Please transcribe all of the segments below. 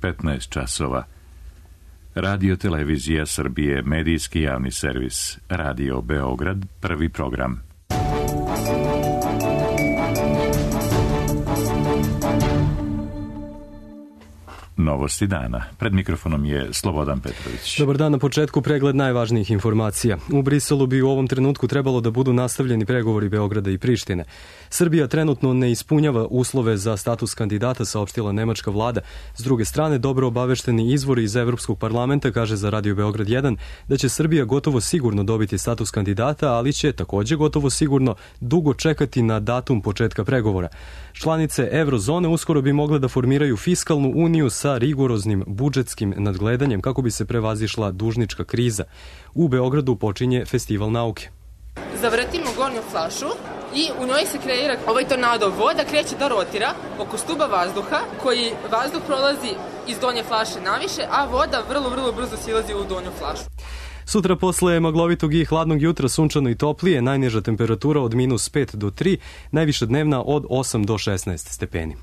15 časova. Radio Televizija Srbije, medijski javni servis. Radio Beograd, prvi program. Novosti dana. Pred mikrofonom je Slobodan Petrović. Dobar dan, na početku pregled najvažnijih informacija. U Briselu bi u ovom trenutku trebalo da budu nastavljeni pregovori Beograda i Prištine. Srbija trenutno ne ispunjava uslove za status kandidata, saopštila nemačka vlada. S druge strane, dobro obavešteni izvori iz Evropskog parlamenta kaže za Radio Beograd 1 da će Srbija gotovo sigurno dobiti status kandidata, ali će takođe gotovo sigurno dugo čekati na datum početka pregovora. Članice Eurozone uskoro bi mogle da formiraju fiskalnu uniju sa rigoroznim budžetskim nadgledanjem kako bi se prevazišla dužnička kriza. U Beogradu počinje Festival nauke. Zavrtimo gornju flašu i u njoj se kreira ovaj tornado. Voda kreće da rotira oko stuba vazduha, koji vazduh prolazi iz donje flaše naviše, a voda vrlo brzo silazi u donju flašu. Sutra posle maglovitog i hladnog jutra sunčano i toplije, najniža temperatura od -5 do 3, najviša dnevna od 8 do 16 stepeni.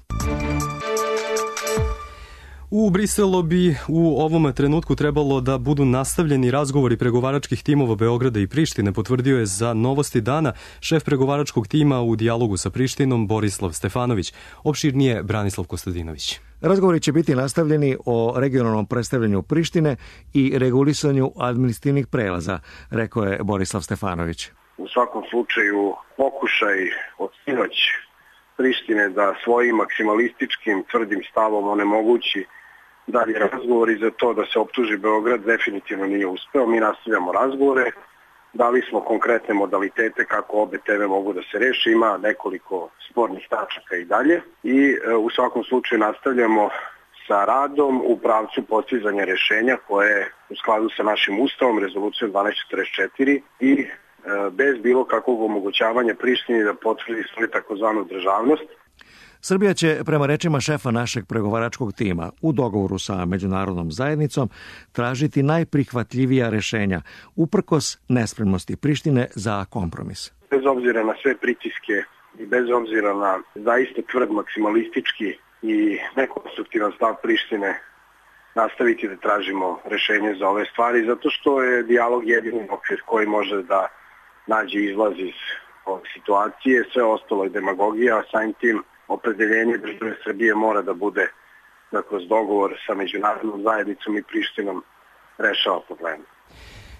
U Briselu bi u ovom trenutku trebalo da budu nastavljeni razgovori pregovaračkih timova Beograda i Prištine, potvrdio je za Novosti dana šef pregovaračkog tima u dijalogu sa Prištinom Borislav Stefanović. Opširnije Branislav Kostadinović. Razgovori će biti nastavljeni o regionalnom predstavljanju Prištine i regulisanju administrativnih prelaza, rekao je Borislav Stefanović. U svakom slučaju pokušaj od sinoć Prištine da svojim maksimalističkim tvrdim stavom onemogući dalje razgovori za to da se optuži Beograd definitivno nije uspeo. Mi nastavljamo razgovore, dali smo konkretne modalitete kako obe teme mogu da se reše, ima nekoliko spornih tačaka i dalje i u svakom slučaju nastavljamo sa radom u pravcu postizanja rešenja koje je u skladu sa našim ustavom, rezolucijom 1244 i bez bilo kakvog omogućavanja Prištini da potvrdi svoju takozvanu državnost. Srbija će, prema rečima šefa našeg pregovaračkog tima, u dogovoru sa međunarodnom zajednicom tražiti najprihvatljivija rešenja, uprkos nespremnosti Prištine za kompromis. Bez obzira na sve pritiske i bez obzira na zaista tvrd maksimalistički i nekonstruktivan stav Prištine, nastaviti da tražimo rešenje za ove stvari, zato što je dijalog jedini okvir koji može da nađe izlaz iz ove situacije, sve ostalo je demagogija, a samim tim opredeljenje države Srbije mora da bude da kroz dogovor sa međunarodnom zajednicom i Prištinom rešava probleme.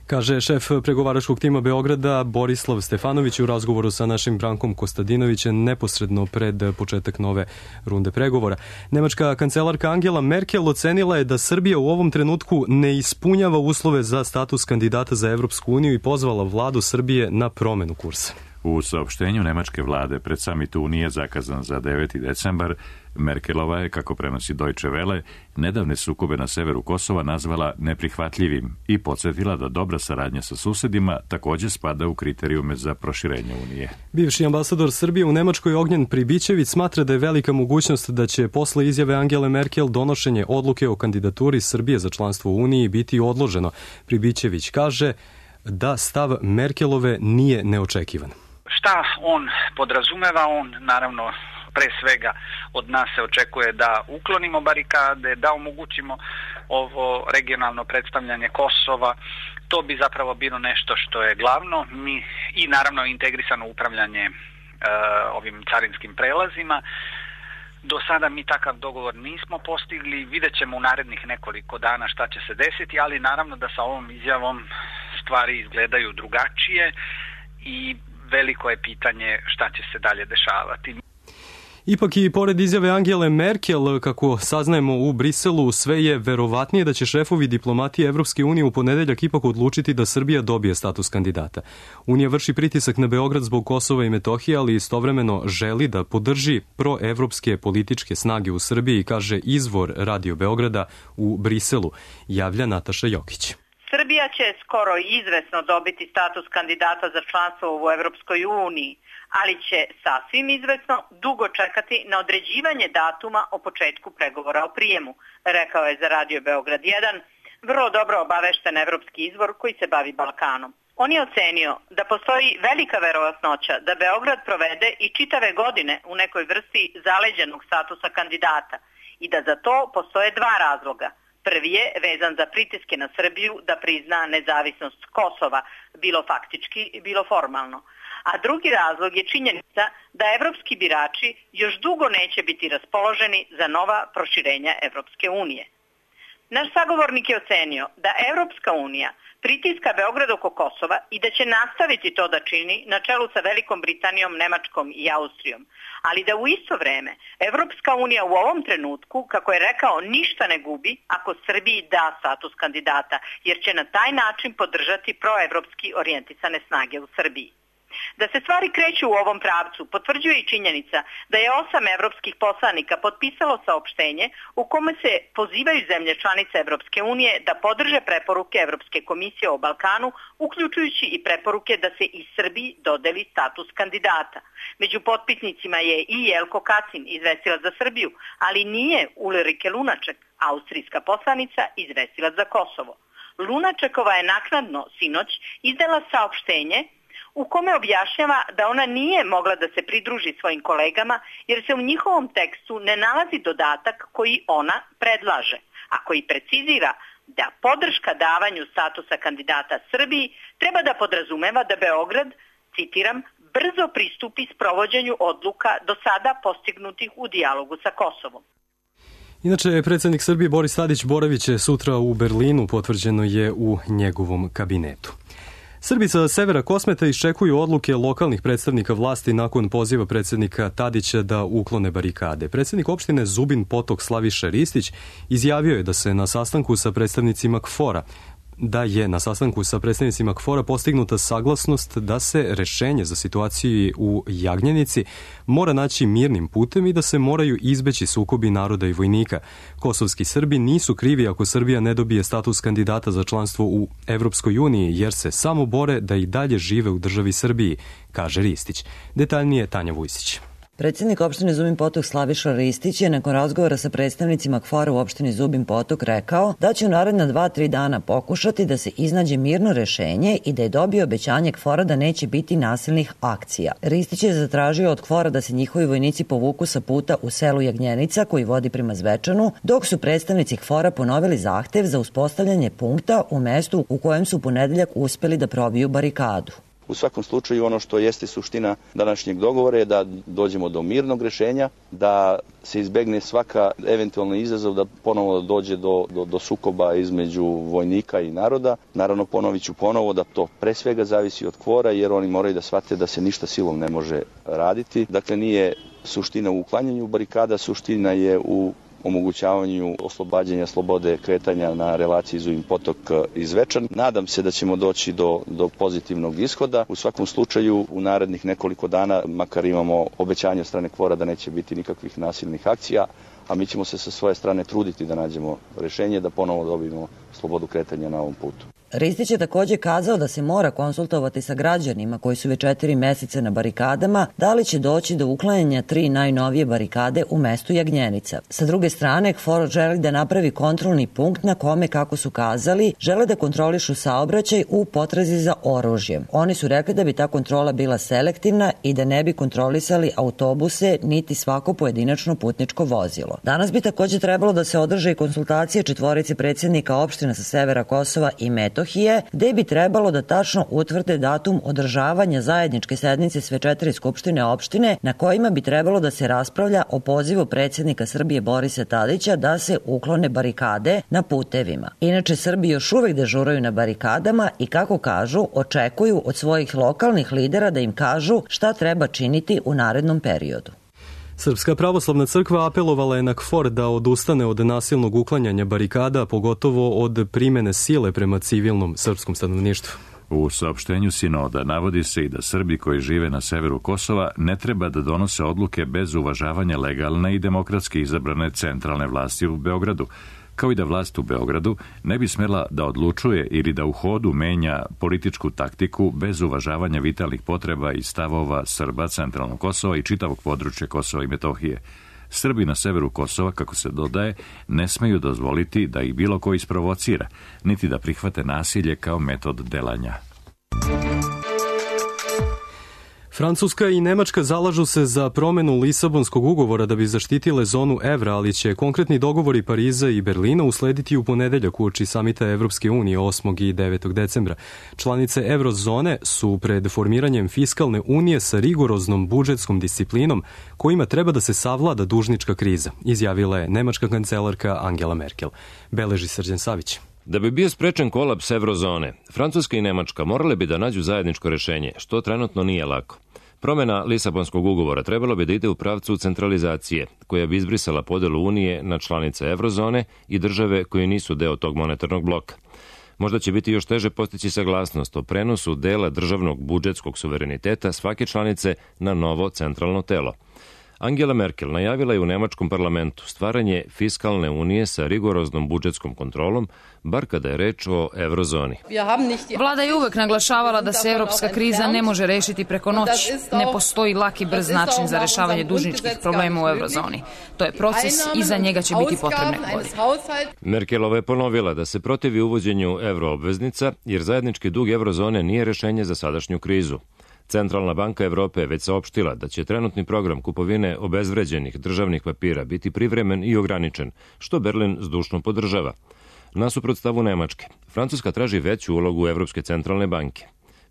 Kaže šef pregovaračkog tima Beograda Borislav Stefanović u razgovoru sa našim Brankom Kostadinovićem neposredno pred početak nove runde pregovora. Nemačka kancelarka Angela Merkel ocenila je da Srbija u ovom trenutku ne ispunjava uslove za status kandidata za Evropsku uniju i pozvala vladu Srbije na promenu kursa. U saopštenju nemačke vlade pred samit Unije zakazan za 9. decembar, Merkelova je, kako prenosi Deutsche Welle, nedavne sukobe na severu Kosova nazvala neprihvatljivim i podsjetila da dobra saradnja sa susedima takođe spada u kriterijume za proširenje Unije. Bivši ambasador Srbije u Nemačkoj Ognjen Pribićević smatra da je velika mogućnost da će posle izjave Angele Merkel donošenje odluke o kandidaturi Srbije za članstvo u Uniji biti odloženo. Pribićević kaže da stav Merkelove nije neočekivan. Šta on podrazumeva? On naravno pre svega od nas se očekuje da uklonimo barikade, da omogućimo ovo regionalno predstavljanje Kosova. To bi zapravo bilo nešto što je glavno. I naravno integrisano upravljanje ovim carinskim prelazima. Do sada mi takav dogovor nismo postigli, vidjet ćemo u narednih nekoliko dana šta će se desiti, ali naravno da sa ovom izjavom stvari izgledaju drugačije i veliko je pitanje šta će se dalje dešavati. Ipak i pored izjave Angele Merkel, kako saznajemo u Briselu, sve je verovatnije da će šefovi diplomatije Evropske unije u ponedeljak ipak odlučiti da Srbija dobije status kandidata. Unija vrši pritisak na Beograd zbog Kosova i Metohije, ali istovremeno želi da podrži proevropske političke snage u Srbiji, kaže izvor Radio Beograda u Briselu, javlja Nataša Jokić. Srbija će skoro izvesno dobiti status kandidata za članstvo u Evropskoj uniji, ali će sasvim izvesno dugo čekati na određivanje datuma o početku pregovora o prijemu, rekao je za Radio Beograd 1, vrlo dobro obavešten evropski izvor koji se bavi Balkanom. On je ocenio da postoji velika verovatnoća da Beograd provede i čitave godine u nekoj vrsti zaleđenog statusa kandidata i da za to postoje dva razloga. Prvi je vezan za pritiske na Srbiju da prizna nezavisnost Kosova, bilo faktički, bilo formalno. A drugi razlog je činjenica da evropski birači još dugo neće biti raspoloženi za nova proširenja Evropske unije. Naš sagovornik je ocenio da Evropska unija pritiska Beograd oko Kosova i da će nastaviti to da čini na čelu sa Velikom Britanijom, Nemačkom i Austrijom, ali da u isto vreme Evropska unija u ovom trenutku, kako je rekao, ništa ne gubi ako Srbiji da status kandidata, jer će na taj način podržati proevropski orijentisane snage u Srbiji. Da se stvari kreću u ovom pravcu potvrđuje i činjenica da je 8 evropskih poslanika potpisalo saopštenje u kome se pozivaju zemlje članice Evropske unije da podrže preporuke Evropske komisije o Balkanu, uključujući i preporuke da se i Srbiji dodeli status kandidata. Među potpisnicima je i Jelko Kacin, izvestilac za Srbiju, ali nije Ulrike Lunaček, austrijska poslanica, izvestilac za Kosovo. Lunačekova je naknadno sinoć izdala saopštenje u kome objašnjava da ona nije mogla da se pridruži svojim kolegama jer se u njihovom tekstu ne nalazi dodatak koji ona predlaže, a koji precizira da podrška davanju statusa kandidata Srbiji treba da podrazumeva da Beograd, citiram, brzo pristupi sprovođenju odluka do sada postignutih u dijalogu sa Kosovom. Inače, predsjednik Srbije Boris Tadić boravit će sutra u Berlinu, potvrđeno je u njegovom kabinetu. Srbi sa severa Kosmeta iščekuju odluke lokalnih predstavnika vlasti nakon poziva predsjednika Tadića da uklone barikade. Predsjednik opštine Zubin Potok Slaviša Ristić izjavio je da je na sastanku sa predstavnicima KFOR-a postignuta saglasnost da se rešenje za situaciju u Jagnjenici mora naći mirnim putem i da se moraju izbeći sukobi naroda i vojnika. Kosovski Srbi nisu krivi ako Srbija ne dobije status kandidata za članstvo u Evropskoj uniji, jer se samo bore da i dalje žive u državi Srbiji, kaže Ristić. Detaljnije Tanja Vujsić. Predsjednik opštine Zubin Potok Slaviša Ristić je nakon razgovora sa predstavnicima KFOR-a u opštini Zubin Potok rekao da će u naredna 2-3 dana pokušati da se iznađe mirno rešenje i da je dobio obećanje KFOR-a da neće biti nasilnih akcija. Ristić je zatražio od KFOR-a da se njihovi vojnici povuku sa puta u selu Jagnjenica koji vodi prema Zvečanu, dok su predstavnici KFOR-a ponovili zahtev za uspostavljanje punkta u mestu u kojem su u ponedeljak uspeli da probiju barikadu. U svakom slučaju ono što jeste suština današnjeg dogovora je da dođemo do mirnog rešenja, da se izbegne svaka eventualni izazov da ponovo dođe do sukoba između vojnika i naroda. Naravno, ponovit ću ponovo da to pre svega zavisi od KFOR-a jer oni moraju da shvate da se ništa silom ne može raditi. Dakle, nije suština u uklanjanju barikada, suština je u omogućavanju oslobađanja slobode kretanja na relaciji Zubin Potok i Zvečan. Nadam se da ćemo doći do pozitivnog ishoda. U svakom slučaju u narednih nekoliko dana makar imamo obećanje od strane KFOR-a da neće biti nikakvih nasilnih akcija, a mi ćemo se sa svoje strane truditi da nađemo rešenje da ponovo dobijemo slobodu kretanja na ovom putu. Ristić je također kazao da se mora konsultovati sa građanima koji su već 4 meseca na barikadama, da li će doći do uklanjanja 3 najnovije barikade u mestu Jagnjenica. Sa druge strane, KFOR želi da napravi kontrolni punkt na kome, kako su kazali, žele da kontrolišu saobraćaj u potrazi za oružjem. Oni su rekli da bi ta kontrola bila selektivna i da ne bi kontrolisali autobuse niti svako pojedinačno putničko vozilo. Danas bi također trebalo da se održe i konsultacije 4 predsjednika opština sa severa Kosova i Metohije, gde bi trebalo da tačno utvrde datum održavanja zajedničke sednice sve 4 skupštine opštine na kojima bi trebalo da se raspravlja o pozivu predsjednika Srbije Borisa Tadića da se uklone barikade na putevima. Inače, Srbi još uvek dežuraju na barikadama i, kako kažu, očekuju od svojih lokalnih lidera da im kažu šta treba činiti u narednom periodu. Srpska pravoslavna crkva apelovala je na KFOR da odustane od nasilnog uklanjanja barikada, pogotovo od primene sile prema civilnom srpskom stanovništvu. U saopštenju sinoda navodi se i da Srbi koji žive na severu Kosova ne treba da donose odluke bez uvažavanja legalne i demokratski izabrane centralne vlasti u Beogradu, kao i da vlast u Beogradu ne bi smela da odlučuje ili da u hodu menja političku taktiku bez uvažavanja vitalnih potreba i stavova Srba centralnog Kosova i čitavog područja Kosova i Metohije. Srbi na severu Kosova, kako se dodaje, ne smeju dozvoliti da ih bilo ko isprovocira, niti da prihvate nasilje kao metod delanja. Francuska i Nemačka zalažu se za promenu Lisabonskog ugovora da bi zaštitile zonu evra, ali će konkretni dogovori Pariza i Berlina uslediti u ponedeljak uoči samita Evropske unije 8. i 9. decembra. Članice eurozone su pred formiranjem fiskalne unije sa rigoroznom budžetskom disciplinom kojima treba da se savlada dužnička kriza, izjavila je nemačka kancelarka Angela Merkel. Beleži Srđan Savić. Da bi bio sprečen kolaps eurozone, Francuska i Nemačka morale bi da nađu zajedničko rešenje, što trenutno nije lako. Promena Lisabonskog ugovora trebalo bi da ide u pravcu centralizacije, koja bi izbrisala podelu Unije na članice eurozone i države koje nisu deo tog monetarnog bloka. Možda će biti još teže postići saglasnost o prenosu dela državnog budžetskog suvereniteta svake članice na novo centralno telo. Angela Merkel najavila je u nemačkom parlamentu stvaranje fiskalne unije sa rigoroznom budžetskom kontrolom, bar kada je reč o eurozoni. Vlada je uvek naglašavala da se evropska kriza ne može rešiti preko noći. Ne postoji laki brz način za rešavanje dužničkih problema u eurozoni. To je proces i za njega će biti potrebne godine. Merkelova je ponovila da se protivi uvođenju euroobveznica, jer zajednički dug eurozone nije rešenje za sadašnju krizu. Centralna banka Evrope je već saopštila da će trenutni program kupovine obezvređenih državnih papira biti privremen i ograničen, što Berlin zdušno podržava. Nasuprot stavu Nemačke, Francuska traži veću ulogu Evropske centralne banke.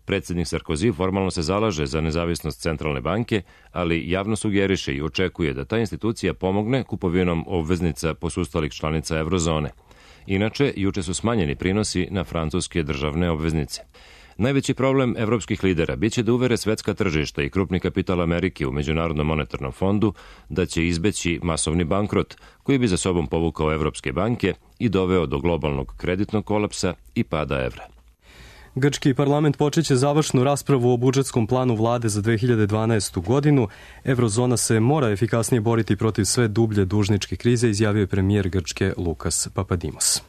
Predsjednik Sarkozy formalno se zalaže za nezavisnost centralne banke, ali javno sugeriše i očekuje da ta institucija pomogne kupovinom obveznica posustalih članica eurozone. Inače, juče su smanjeni prinosi na francuske državne obveznice. Najveći problem evropskih lidera biće da uvere svetska tržišta i krupni kapital Amerike u Međunarodnom monetarnom fondu da će izbeći masovni bankrot koji bi za sobom povukao evropske banke i doveo do globalnog kreditnog kolapsa i pada evra. Grčki parlament počeće završnu raspravu o budžetskom planu vlade za 2012. godinu. Eurozona se mora efikasnije boriti protiv sve dublje dužničke krize, izjavio je premijer Grčke Lukas Papadimos.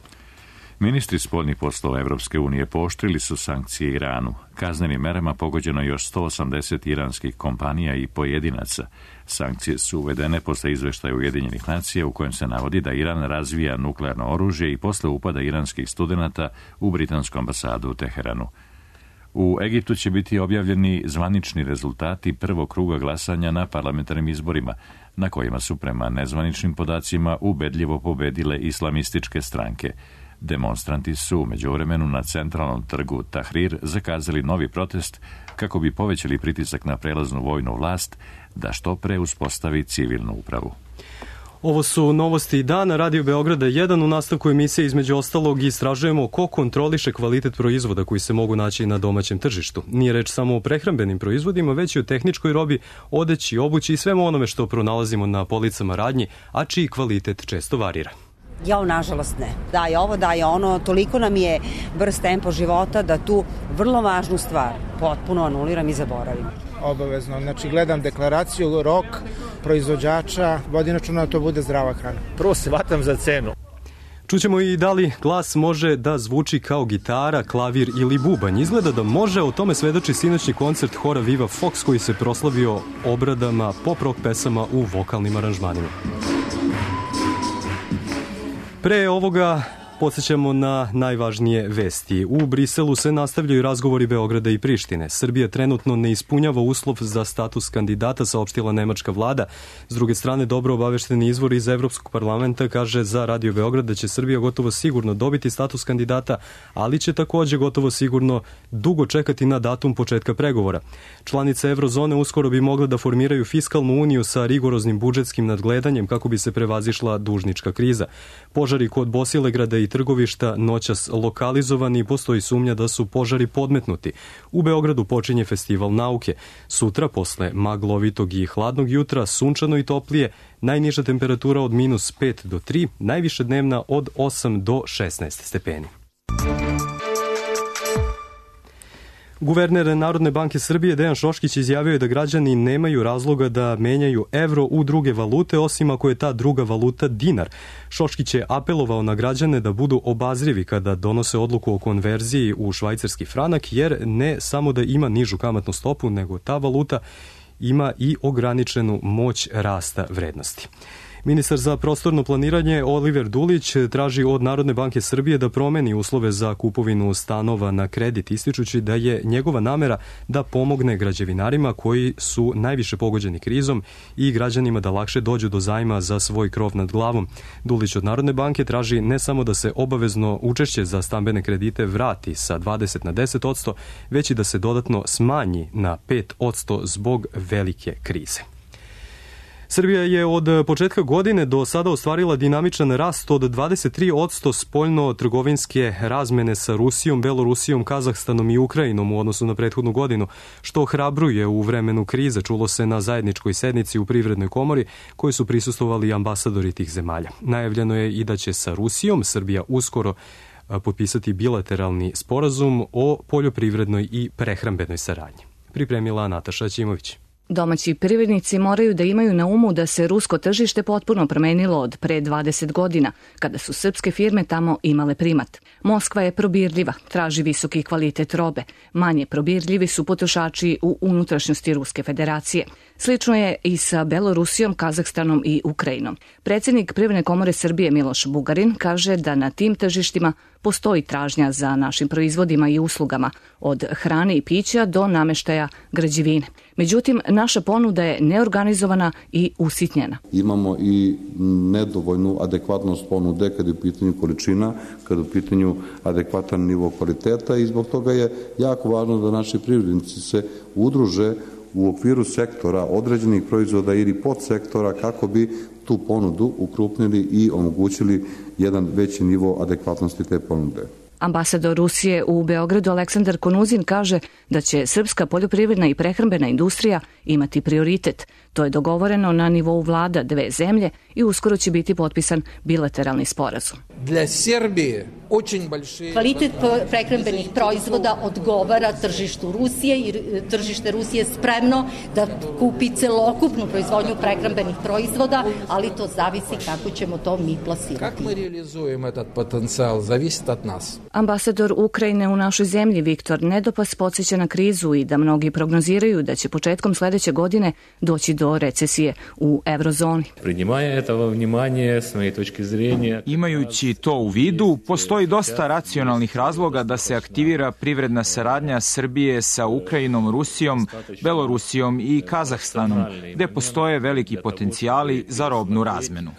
Ministri spoljnih poslova Evropske unije pooštrili su sankcije Iranu. Kaznenim merama pogođeno još 180 iranskih kompanija i pojedinaca. Sankcije su uvedene posle izveštaja Ujedinjenih nacija u kojem se navodi da Iran razvija nuklearno oružje i posle upada iranskih studenata u britansku ambasadu u Teheranu. U Egiptu će biti objavljeni zvanični rezultati prvog kruga glasanja na parlamentarnim izborima, na kojima su prema nezvaničnim podacima ubedljivo pobedile islamističke stranke. Demonstranti su u međuvremenu na centralnom trgu Tahrir zakazali novi protest kako bi povećali pritisak na prelaznu vojnu vlast da što pre uspostavi civilnu upravu. Ovo su novosti dana, Radio Beograda 1. U nastavku emisije između ostalog istražujemo ko kontroliše kvalitet proizvoda koji se mogu naći na domaćem tržištu. Nije reč samo o prehrambenim proizvodima, već i o tehničkoj robi, odeći, obući i svemu onome što pronalazimo na policama radnji, a čiji kvalitet često varira. Nažalost ne. Daje ovo, daje ono, toliko nam je brz tempo života da tu vrlo važnu stvar potpuno anuliram i zaboravim. Obavezno, znači gledam deklaraciju, rok proizvođača, vodim računa da to bude zdrava hrana. Prvo se vatam za cenu. Čućemo i da li glas može da zvuči kao gitara, klavir ili bubanj. Izgleda da može, o tome svedoči sinoćni koncert hora Viva Fox koji se proslavio obradama pop-rock pesama u vokalnim aranžmanima. Pre ovoga podsjećamo na najvažnije vesti. U Briselu se nastavljaju razgovori Beograda i Prištine. Srbija trenutno ne ispunjava uslov za status kandidata, saopštila nemačka vlada. S druge strane, dobro obavešteni izvor iz Evropskog parlamenta kaže za Radio Beograd da će Srbija gotovo sigurno dobiti status kandidata, ali će takođe gotovo sigurno dugo čekati na datum početka pregovora. Članice Eurozone uskoro bi mogle da formiraju fiskalnu uniju sa rigoroznim budžetskim nadgledanjem kako bi se prevazišla dužnička kriza. Požari kod Bosilegrada i Trgovišta noćas lokalizovani i postoji sumnja da su požari podmetnuti. U Beogradu počinje festival nauke. Sutra, posle maglovitog i hladnog jutra, sunčano i toplije, najniža temperatura od -5 do 3, najviše dnevna od 8 do 16 stepeni. Guverner Narodne banke Srbije Dejan Šoškić izjavio je da građani nemaju razloga da menjaju evro u druge valute, osim ako je ta druga valuta dinar. Šoškić je apelovao na građane da budu obazrivi kada donose odluku o konverziji u švajcarski franak, jer ne samo da ima nižu kamatnu stopu, nego ta valuta ima i ograničenu moć rasta vrednosti. Ministar za prostorno planiranje Oliver Dulić traži od Narodne banke Srbije da promeni uslove za kupovinu stanova na kredit, ističući da je njegova namera da pomogne građevinarima koji su najviše pogođeni krizom i građanima da lakše dođu do zajma za svoj krov nad glavom. Dulić od Narodne banke traži ne samo da se obavezno učešće za stambene kredite vrati sa 20 na 10%, već i da se dodatno smanji na 5% zbog velike krize. Srbija je od početka godine do sada ostvarila dinamičan rast od 23% spoljno-trgovinske razmene sa Rusijom, Belorusijom, Kazahstanom i Ukrajinom u odnosu na prethodnu godinu, što ohrabruje u vremenu krize, čulo se na zajedničkoj sednici u Privrednoj komori koji su prisustvovali ambasadori tih zemalja. Najavljeno je i da će sa Rusijom Srbija uskoro potpisati bilateralni sporazum o poljoprivrednoj i prehrambenoj saradnji. Pripremila Nataša Ćimović. Domaći privrednici moraju da imaju na umu da se rusko tržište potpuno promenilo od pre 20 godina, kada su srpske firme tamo imale primat. Moskva je probirljiva, traži visoki kvalitet robe. Manje probirljivi su potrošači u unutrašnjosti Ruske federacije. Slično je i sa Belorusijom, Kazahstanom i Ukrajinom. Predsjednik Privredne komore Srbije Miloš Bugarin kaže da na tim tržištima postoji tražnja za našim proizvodima i uslugama, od hrane i pića do nameštaja građevine. Međutim, naša ponuda je neorganizovana i usitnjena. Imamo i nedovoljnu adekvatnost ponude kada je u pitanju količina, kada je u pitanju adekvatan nivo kvaliteta i zbog toga je jako važno da naši privrednici se udruže u okviru sektora određenih proizvoda ili podsektora kako bi tu ponudu ukrupnili i omogućili jedan veći nivo adekvatnosti te ponude. Ambasador Rusije u Beogradu Aleksandar Konuzin kaže da će srpska poljoprivredna i prehrambena industrija imati prioritet. To je dogovoreno na nivou vlada dve zemlje i uskoro će biti potpisan bilateralni sporazum. Kvalitet prehrambenih proizvoda odgovara tržištu Rusije i tržište Rusije je spremno da kupi celokupnu proizvodnju prehrambenih proizvoda, ali to zavisi kako ćemo to mi plasirati. Kako mi realizujemo taj potencijal, zavisi od nas. Ambasador Ukrajine u našoj zemlji Viktor Nedopas podsjeća na krizu i da mnogi prognoziraju da će početkom sledeće godine doći do recesije u eurozoni. Imajući to u vidu, postoji dosta racionalnih razloga da se aktivira privredna saradnja Srbije sa Ukrajinom, Rusijom, Belorusijom i Kazahstanom, gde postoje veliki potencijali za robnu razmenu.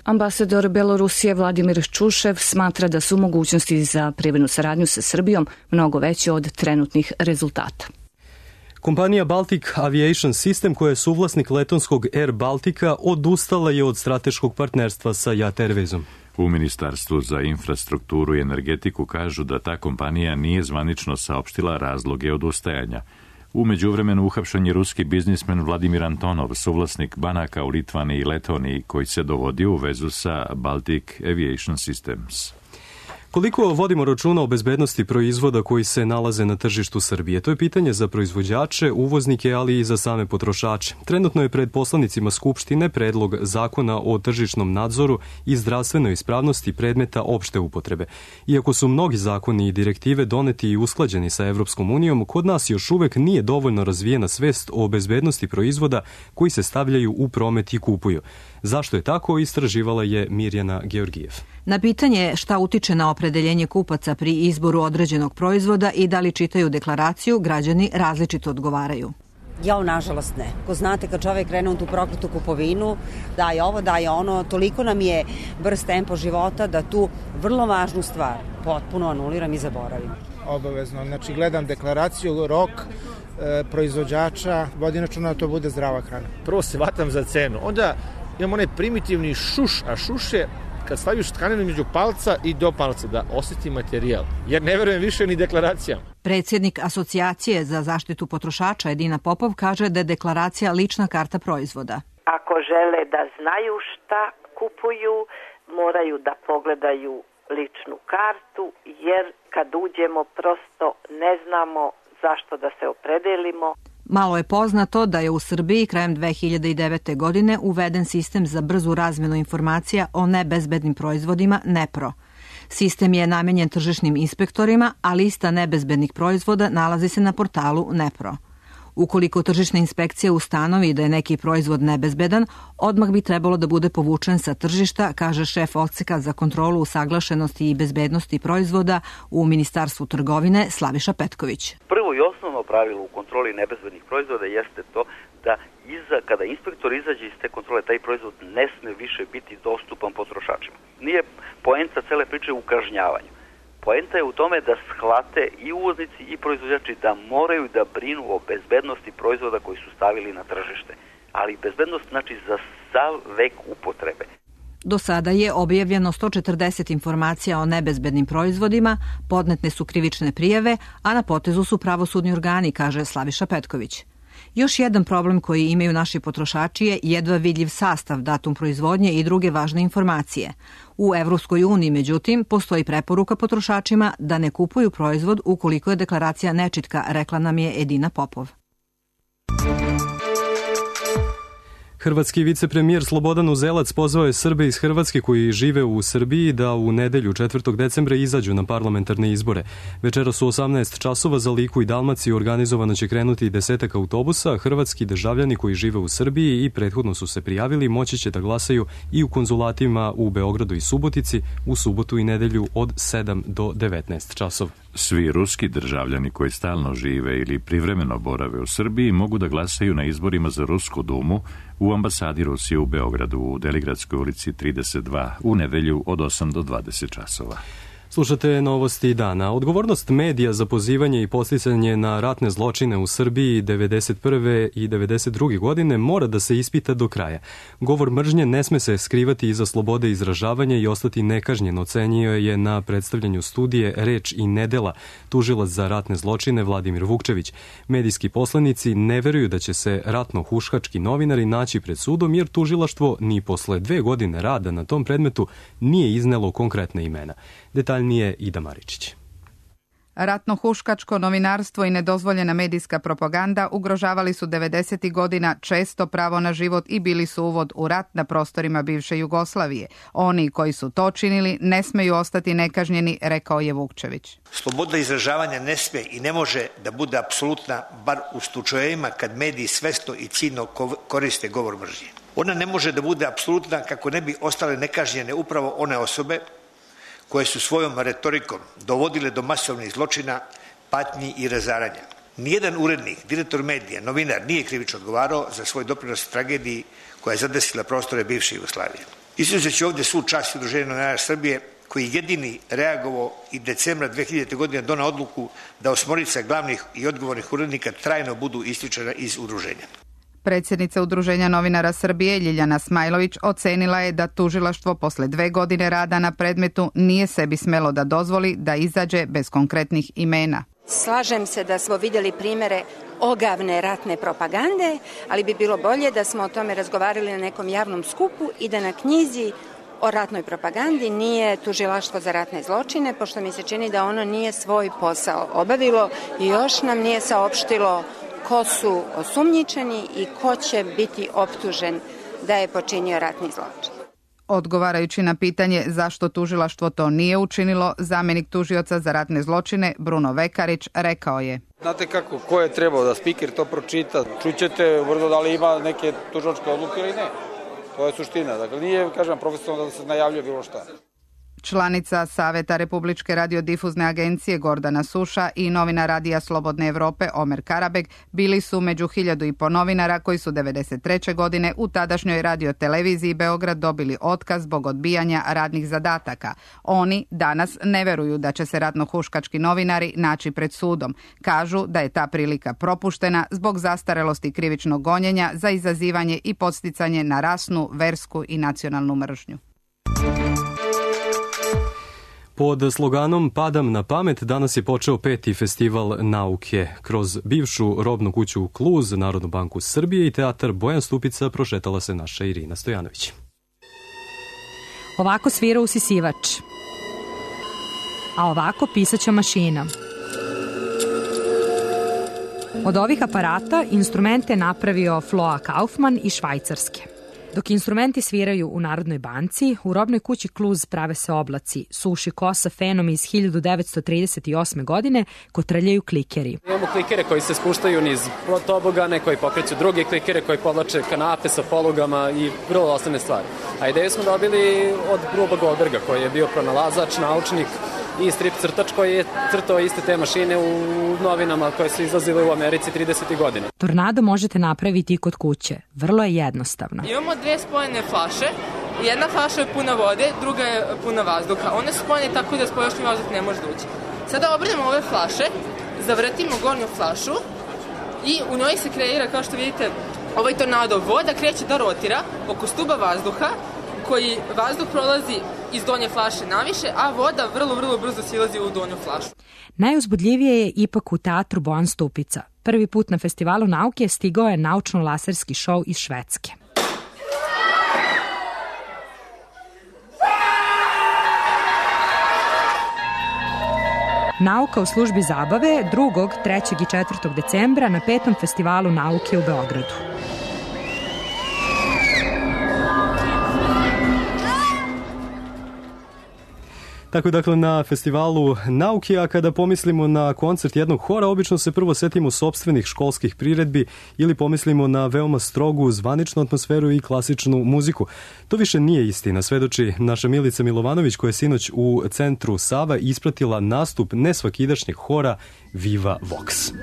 Ambasador Belorusije Vladimir Čušev smatra da su mogućnosti za privrednu saradnju sa Srbijom mnogo veće od trenutnih rezultata. Kompanija Baltic Aviation System, koja je suvlasnik letonskog Air Baltica, odustala je od strateškog partnerstva sa JAT Airwaysom. U Ministarstvu za infrastrukturu i energetiku kažu da ta kompanija nije zvanično saopštila razloge odustajanja. U međuvremenu uhapšen je ruski biznismen Vladimir Antonov, suvlasnik banaka u Litvani i Letoniji, koji se dovodio u vezu sa Baltic Aviation Systems. Koliko vodimo računa o bezbednosti proizvoda koji se nalaze na tržištu Srbije? To je pitanje za proizvođače, uvoznike, ali i za same potrošače. Trenutno je pred poslanicima Skupštine predlog zakona o tržišnom nadzoru i zdravstvenoj ispravnosti predmeta opšte upotrebe. Iako su mnogi zakoni i direktive doneti i usklađeni sa Evropskom unijom, kod nas još uvek nije dovoljno razvijena svest o bezbednosti proizvoda koji se stavljaju u promet i kupuju. Zašto je tako, istraživala je Mirjana Georgijev. Na pitanje šta utiče na opredeljenje kupaca pri izboru određenog proizvoda i da li čitaju deklaraciju, građani različito odgovaraju. Nažalost ne. Ko znate, kad čovek krene u tu prokletu kupovinu, daje ovo, daje ono, toliko nam je brz tempo života da tu vrlo važnu stvar potpuno anuliram i zaboravim. Obavezno. Znači, gledam deklaraciju, rok, proizvođača, vodim računa da to bude zdrava hrana. Prvo se vatam za cenu, onda imam onaj primitivni šuš, a šuš je kad staviš tkaninu među palca i do palca, da osjeti materijal. Jer ne verujem više ni deklaracijama. Predsjednik Asocijacije za zaštitu potrošača Edina Popov kaže da je deklaracija lična karta proizvoda. Ako žele da znaju šta kupuju, moraju da pogledaju ličnu kartu, jer kad uđemo prosto ne znamo zašto da se opredelimo. Malo je poznato da je u Srbiji krajem 2009. godine uveden sistem za brzu razmenu informacija o nebezbednim proizvodima NEPRO. Sistem je namenjen tržišnim inspektorima, a lista nebezbednih proizvoda nalazi se na portalu NEPRO. Ukoliko tržišna inspekcija ustanovi da je neki proizvod nebezbedan, odmah bi trebalo da bude povučen sa tržišta, kaže šef odseka za kontrolu usaglašenosti i bezbednosti proizvoda u Ministarstvu trgovine Slaviša Petković. Prvo i osnovno pravilo u kontroli nebezbednih proizvoda jeste to da kada inspektor izađe iz te kontrole, taj proizvod ne sme više biti dostupan potrošačima. Nije poenta cele priče u kažnjavanju. Poenta je u tome da shvate i uvoznici i proizvođači da moraju da brinu o bezbednosti proizvoda koji su stavili na tržište. Ali bezbednost znači za sav vek upotrebe. Do sada je objavljeno 140 informacija o nebezbednim proizvodima, podnete su krivične prijave, a na potezu su pravosudni organi, kaže Slaviša Petković. Još jedan problem koji imaju naši potrošači je jedva vidljiv sastav, datum proizvodnje i druge važne informacije. U Evropskoj uniji, međutim, postoji preporuka potrošačima da ne kupuju proizvod ukoliko je deklaracija nečitka, rekla nam je Edina Popov. Hrvatski vicepremijer Slobodan Uzelac pozvao je Srbe iz Hrvatske koji žive u Srbiji da u nedelju 4. decembra izađu na parlamentarne izbore. Večeras u 18 časova za Liku i Dalmaciju organizovano će krenuti 10 autobusa. Hrvatski državljani koji žive u Srbiji i prethodno su se prijavili moći će da glasaju i u konzulatima u Beogradu i Subotici u subotu i nedelju od 7 do 19 časova. Svi ruski državljani koji stalno žive ili privremeno borave u Srbiji mogu da glasaju na izborima za Rusku dumu u ambasadi Rusije u Beogradu u Deligradskoj ulici 32 u nedelju od 8 do 20 časova. Slušate novosti dana. Odgovornost medija za pozivanje i podsticanje na ratne zločine u Srbiji 1991. i 1992. godine mora da se ispita do kraja. Govor mržnje ne sme se skrivati iza slobode izražavanja i ostati nekažnjen, ocenio je na predstavljanju studije Reč i nedela tužilac za ratne zločine Vladimir Vukčević. Medijski poslanici ne veruju da će se ratno-huškački novinari naći pred sudom jer tužilaštvo ni posle 2 godine rada na tom predmetu nije iznelo konkretne imena. Detaljnije Ida Maričić. Ratno-huškačko novinarstvo i nedozvoljena medijska propaganda ugrožavali su 90. godina često pravo na život i bili su uvod u rat na prostorima bivše Jugoslavije. Oni koji su to činili ne smeju ostati nekažnjeni, rekao je Vukčević. Sloboda izražavanja ne sme i ne može da bude apsolutna, bar u slučajevima kad mediji svesno i ciljno koriste govor mržnje. Ona ne može da bude apsolutna kako ne bi ostale nekažnjene upravo one osobe koje su svojom retorikom dovodile do masovnih zločina, patnji i razaranja. Nijedan urednik, direktor medija, novinar nije krivično odgovarao za svoj doprinos tragediji koja je zadesila prostore bivše Jugoslavije. Izuzeći ovdje svu čast Udruženja novinara Srbije, koji jedini reagovao i decembra 2000. godine donao odluku da 8 glavnih i odgovornih urednika trajno budu isključena iz udruženja. Predsjednica Udruženja novinara Srbije Ljiljana Smajlović ocenila je da tužilaštvo posle 2 godine rada na predmetu nije sebi smelo da dozvoli da izađe bez konkretnih imena. Slažem se da smo vidjeli primere ogavne ratne propagande, ali bi bilo bolje da smo o tome razgovarali na nekom javnom skupu i da na knjizi o ratnoj propagandi nije tužilaštvo za ratne zločine, pošto mi se čini da ono nije svoj posao obavilo i još nam nije saopštilo ko su osumnjičeni i ko će biti optužen da je počinio ratni zločin. Odgovarajući na pitanje zašto tužilaštvo to nije učinilo, zamjenik tužioca za ratne zločine Bruno Vekarić rekao je: Znate kako, ko je trebao da spiker to pročita? Čućete vrlo da li ima neke tužilačke odluke ili ne. To je suština. Dakle, nije, kažem, profesionalno da se najavljuje bilo šta. Članica Saveta Republičke radiodifuzne agencije Gordana Suša i novinar Radija Slobodne Evrope Omer Karabeg bili su među 1500 novinara koji su 1993. godine u tadašnjoj radioteleviziji Beograd dobili otkaz zbog odbijanja radnih zadataka. Oni danas ne veruju da će se ratno-huškački novinari naći pred sudom. Kažu da je ta prilika propuštena zbog zastarelosti krivičnog gonjenja za izazivanje i podsticanje na rasnu, versku i nacionalnu mržnju. Pod sloganom Padam na pamet danas je počeo 5. festival nauke. Kroz bivšu robnu kuću Kluz, Narodnu banku Srbije i teatar Bojan Stupica prošetala se naša Irina Stojanović. Ovako svira usisivač, a ovako pisaća mašina. Od ovih aparata instrumente napravio Floa Kaufman iz Švajcarske. Dok instrumenti sviraju u Narodnoj banci, u robnoj kući Kluz prave se oblaci, suši kosa fenom iz 1938. godine, kotrljaju klikeri. Imamo klikere koji se spuštaju niz tobogane, koji pokreću druge klikere, koji podlače kanape sa polugama i vrlo osnovne stvari. A ideju smo dobili od Ruba Goldberga, koji je bio pronalazač, naučnik i strip crtač koji je crtao iste te mašine u novinama koje su izlazile u Americi 30. godina. Tornado možete napraviti i kod kuće. Vrlo je jednostavno. Imamo dve spojene flaše. Jedna flaša je puna vode, druga je puna vazduha. One su spojene tako da spoljašnji vazduh ne može da ući. Sada obrnemo ove flaše, zavrtimo gornju flašu i u njoj se kreira, kao što vidite, ovaj tornado. Voda kreće da rotira oko stuba vazduha, koji vazduh prolazi iz donje flaše naviše, a voda vrlo brzo silazi u donju flašu. Najuzbudljivije je ipak u teatru Bojan Stupica. Prvi put na Festivalu nauke stigao je naučno-laserski šou iz Švedske. Nauka u službi zabave 2., 3. i 4. decembra na 5. Festivalu nauke u Beogradu. Tako dakle na Festivalu nauke, a kada pomislimo na koncert jednog hora, obično se prvo setimo sopstvenih školskih priredbi ili pomislimo na veoma strogu zvaničnu atmosferu i klasičnu muziku. To više nije istina, svedoči naša Milica Milovanović koja je sinoć u centru Sava ispratila nastup nesvakidašnjeg hora Viva Vox.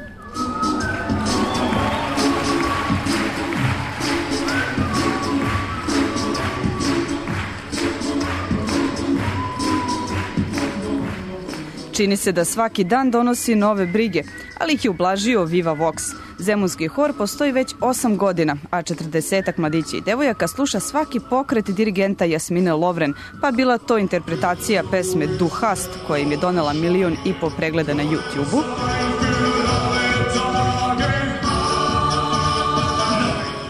Čini se da svaki dan donosi nove brige, ali ih je ublažio Viva Vox. Zemunski hor postoji već 8 godina, a 40-ak mladića i devojaka sluša svaki pokret dirigenta Jasmine Lovren, pa bila to interpretacija pesme Duhast, koja im je donela 1,5 miliona pregleda na YouTube-u.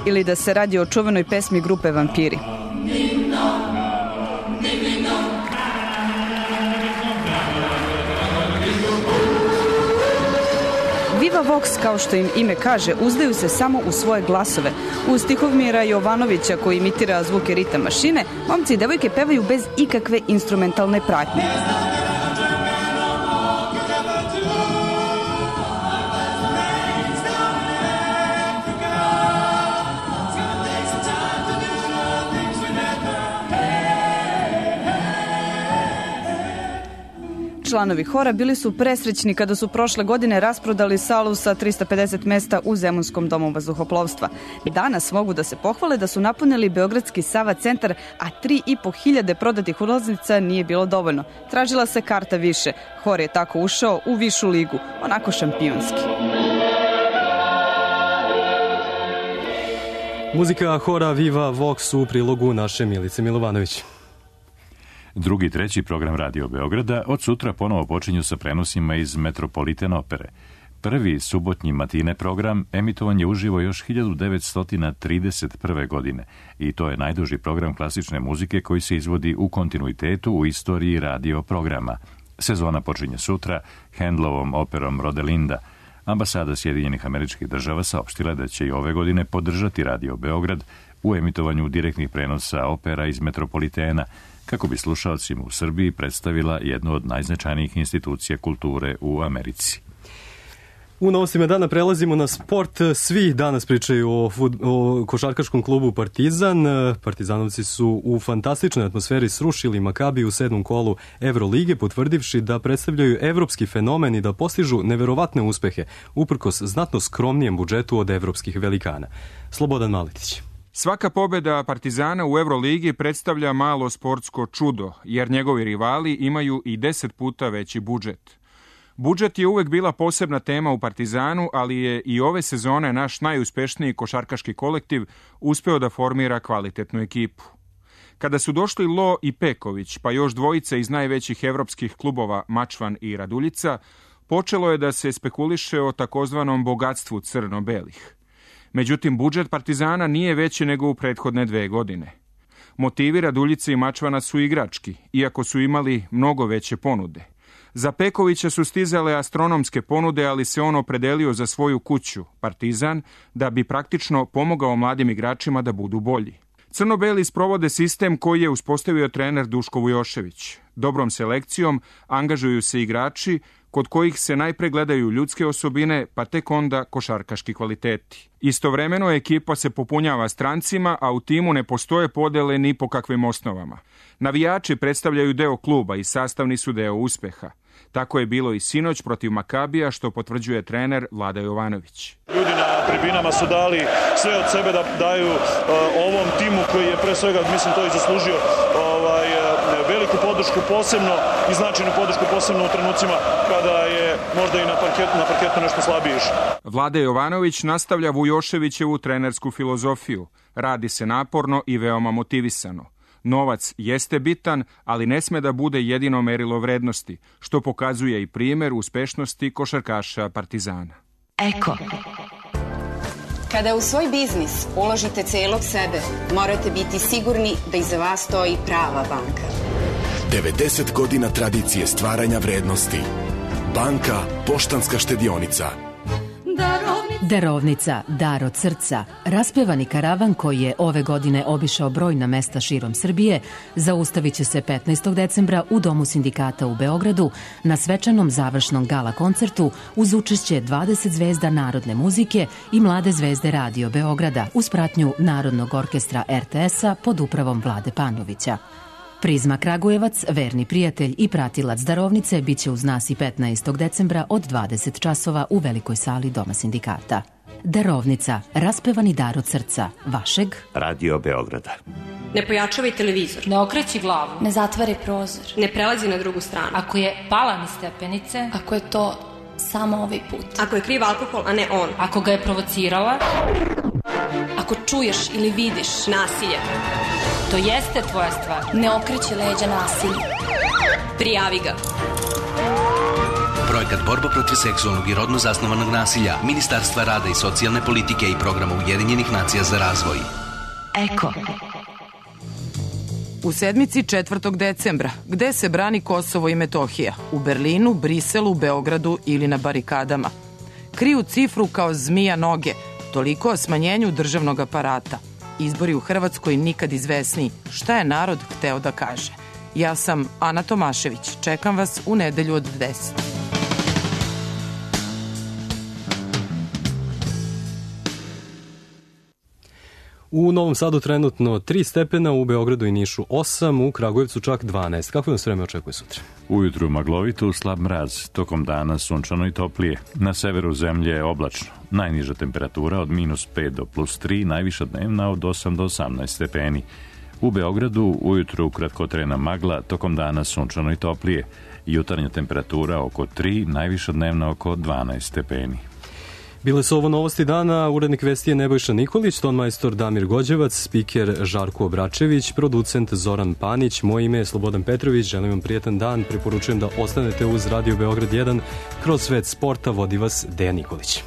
Ili da se radi o čuvenoj pesmi grupe Vampiri. Viva Vox, kao što im ime kaže, uzdaju se samo u svoje glasove. Uz Tihomira Jovanovića koji imitira zvuke ritam mašine, momci i devojke pevaju bez ikakve instrumentalne pratnje. Članovi hora bili su presrećni kada su prošle godine rasprodali salu sa 350 mesta u Zemunskom domu vazduhoplovstva. Danas mogu da se pohvale da su napunili Beogradski Sava centar, a 3.500 prodatih ulaznica nije bilo dovoljno. Tražila se karta više. Hor je tako ušao u višu ligu, onako šampionski. Muzika hora Viva Vox u prilogu naše Milice Milovanović. 2. i 3. program Radio Beograda od sutra ponovo počinju sa prenosima iz Metropolitan opere. Prvi subotnji matine program emitovan je uživo još 1931. godine i to je najduži program klasične muzike koji se izvodi u kontinuitetu u istoriji radio programa. Sezona počinje sutra Handlovom operom Rodelinda. Ambasada Sjedinjenih Američkih Država saopštila da će i ove godine podržati Radio Beograd u emitovanju direktnih prenosa opera iz Metropolitena, kako bi slušalcima u Srbiji predstavila jednu od najznačajnijih institucija kulture u Americi. U novostima dana prelazimo na sport. Svi danas pričaju o košarkaškom klubu Partizan. Partizanovci su u fantastičnoj atmosferi srušili Makabi u 7. kolu Evrolige, potvrdivši da predstavljaju evropski fenomen i da postižu neverovatne uspehe, uprkos znatno skromnijem budžetu od evropskih velikana. Slobodan Maletić. Svaka pobjeda Partizana u Euroligi predstavlja malo sportsko čudo, jer njegovi rivali imaju i 10 puta veći budžet. Budžet je uvek bila posebna tema u Partizanu, ali je i ove sezone naš najuspešniji košarkaški kolektiv uspeo da formira kvalitetnu ekipu. Kada su došli Lo i Peković, pa još dvojica iz najvećih evropskih klubova Mačvan i Raduljica, počelo je da se spekuliše o takozvanom bogatstvu crno-belih. Međutim, budžet Partizana nije veći nego u prethodne 2 godine. Motivi Raduljice i Mačvana su igrački, iako su imali mnogo veće ponude. Za Pekovića su stizale astronomske ponude, ali se on opredelio za svoju kuću, Partizan, da bi praktično pomogao mladim igračima da budu bolji. Crno-beli sprovode sistem koji je uspostavio trener Duško Vujošević. Dobrom selekcijom angažuju se igrači kod kojih se najpre gledaju ljudske osobine, pa tek onda košarkaški kvaliteti. Istovremeno ekipa se popunjava strancima, a u timu ne postoje podele ni po kakvim osnovama. Navijači predstavljaju deo kluba i sastavni su deo uspeha. Tako je bilo i sinoć protiv Makabija, što potvrđuje trener Vlada Jovanović. Ljudi na tribinama su dali sve od sebe da daju ovom timu koji je pre svega, mislim, to i zaslužio veliku podršku posebno i značajnu podršku posebno u trenucima kada je možda i na parketu nešto slabije išao. Vlada Jovanović nastavlja Vujoševićevu trenersku filozofiju. Radi se naporno i veoma motivisano. Novac jeste bitan, ali ne sme da bude jedino merilo vrednosti, što pokazuje i primer uspešnosti košarkaša Partizana. Eko. Kada u svoj biznis uložite celog sebe, morate biti sigurni da iza vas stoji prava banka. 90 godina tradicije stvaranja vrednosti. Banka Poštanska štedionica. Darovnica, dar od srca, raspevani karavan koji je ove godine obišao brojna mesta širom Srbije, zaustavit će se 15. decembra u Domu sindikata u Beogradu na svečanom završnom gala koncertu uz učešće 20 zvezda narodne muzike i mlade zvezde Radio Beograda uz pratnju Narodnog orkestra RTS-a pod upravom Vlade Panovića. Prizma Kragujevac, verni prijatelj i pratilac darovnice, biće uz nas i 15. decembra od 20 časova u velikoj sali Doma sindikata. Darovnica, raspevani dar od srca, vašeg Radio Beograda. Ne pojačavaj televizor. Ne okreći glavu. Ne zatvari prozor. Ne prelazi na drugu stranu. Ako je pala niz stepenice. Ako je to samo ovaj put. Ako je kriv alkohol, a ne on. Ako ga je provocirala. Ako čuješ ili vidiš nasilje. To jeste tvoja stvar. Ne okreći leđa nasilju. Prijavi ga. Projekat Borba protiv seksualnog i rodno zasnovanog nasilja Ministarstva rada i socijalne politike i programa Ujedinjenih nacija za razvoj. Eko. U sedmici 4. decembra, gde se brani Kosovo i Metohija? U Berlinu, Briselu, Beogradu ili na barikadama? Kriju cifru kao zmija noge, toliko o smanjenju državnog aparata. Izbori u Hrvatskoj nikad izvesniji. Šta je narod hteo da kaže? Ja sam Ana Tomašević. Čekam vas u nedelju od 10. U Novom Sadu trenutno 3 stepena, u Beogradu i Nišu 8, u Kragujevcu čak 12. Kako nas vreme očekuje sutra? Ujutru maglovito, slab mraz, tokom dana sunčano i toplije. Na severu zemlje je oblačno. Najniža temperatura od -5 do +3, najviša dnevna od 8 do 18 stepeni. U Beogradu ujutru kratkotrajna magla, tokom dana sunčano i toplije. Jutarnja temperatura oko 3, najviša dnevna oko 12 stepeni. Bile su ovo novosti dana, urednik vesti je Nebojša Nikolić, tonmajstor Damir Gođevac, spiker Žarko Obračević, producent Zoran Panić, moje ime je Slobodan Petrović, želim vam prijetan dan, preporučujem da ostanete uz Radio Beograd 1, kroz svet sporta vodi vas Dejan Nikolić.